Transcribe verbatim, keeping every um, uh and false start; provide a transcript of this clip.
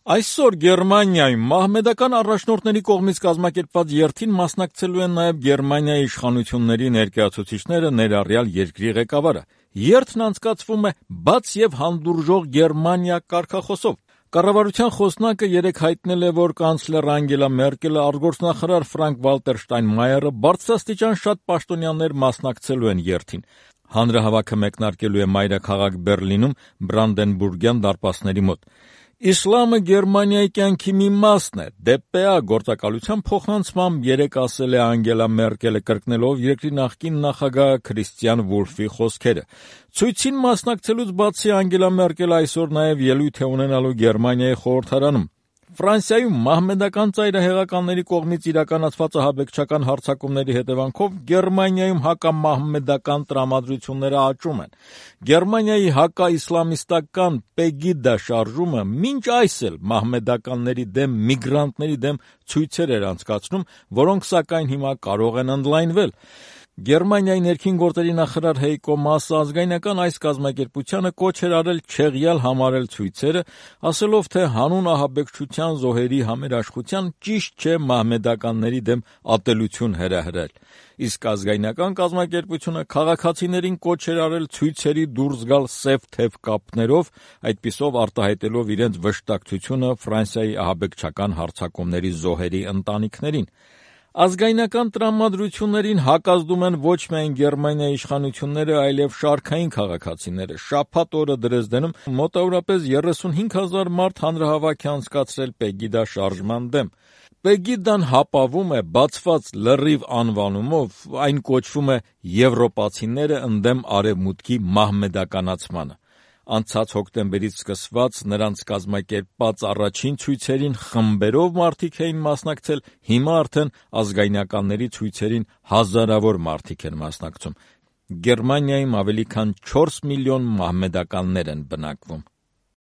Այսօր Գերմանիայում մահմեդական առաջնորդների կողմից կազմակերպված երթին մասնակցելու են նաև Գերմանիայի իշխանությունների ներկայացուցիչները, ներառյալ երկրի ղեկավարը։ Երթն անցկացվում է բաց եւ հանդուրժող Գերմանիա կարգախոսով։ Կառավարության խոսնակը երեկ հայտնել է, որ կանցլեր Անգելա Մերկելը, արտգործնախարար Ֆրանկ Վալտեր Շտայնմայերը, բարձրաստիճան շատ պաշտոնյաներ մասնակցելու են երթին։ Հանրահավաքը մեկնարկելու է մայրաքաղաք Բերլինում Բրանդենբուրգյան դարպասների մոտ։ Իսլամը Գերմանիայի կյանքի մի մասն է, ԴՊԱ գործակալության փոխանցմամբ երեկ ասել է Անգելա Մերկելը, կրկնելով երկրի նախկին նախագահ Քրիստիան Վուլֆի խոսքերը։ Ցույցին մասնակցելուց բացի Անգելա Մերկելը այսօր նաև ելույթ է ունենալու Գերմանիայի խորհրդարանում։ Ֆրանսիայում մահմեդական ծայրահեղականների կողմից իրականացված ահաբեկչական հարձակումների հետևանքով Գերմանիայում հակամահմեդական տրամադրությունները աճում են։ Գերմանիայի հակաիսլամիստական Պեգիդա շարժումը մինչ այս էլ մահմեդականների դեմ, միգրանտների դեմ ցույցեր էր անցկացնում, որոնք սակայն հիմա կարող են ընդլայնվել։ Գերմանիայի ներքին գործերի նախարար Հեյկո Մասը ազգայնական այս կազմակերպությանը կոչ էր արել չեղյալ համարել ցույցերը, ասելով, թե հանուն ահաբեկչության զոհերի համերաշխության ճիշտ չէ մահմեդականների դեմ ատելություն հրահրել։ Իսկ ազգայնական կազմակերպությունը քաղաքացիներին կոչ էր արել ցույցերի դուրս գալ սև թև կապներով, այդպիսով արտահայտելով իրենց վշտակցությունը Ֆրանսիայի ահաբեկչական հարձակումների զոհերի ընտանիքներին։ Ազգայնական տրամադրություններին հակազդում են ոչ միայն Գերմանիայի իշխանությունները, այլև շարքային քաղաքացիները։ Շաբաթ օրը Դրեզդենում մոտավորապես երեսունհինգ հազար մարդ հանրահավաք է անցկացրել Պեգիդա շարժման դեմ։ Պեգիդան հապավում է բացված լրիվ անվանումով, այն կոչվում է «Եվրոպացիները ընդդեմ Արևմուտքի մահմեդականացմանը»։ Անցած հոկտեմբերից սկսված նրանց կազմակերպած առաջին ցույցերին խմբերով մարդիկ էին մասնակցել, հիմա արդեն ազգայնականների ցույցերին հազարավոր մարդիկ են մասնակցում։ Գերմանիայում ավելի քան չորս միլիոն մահմեդականներ են բնակվում։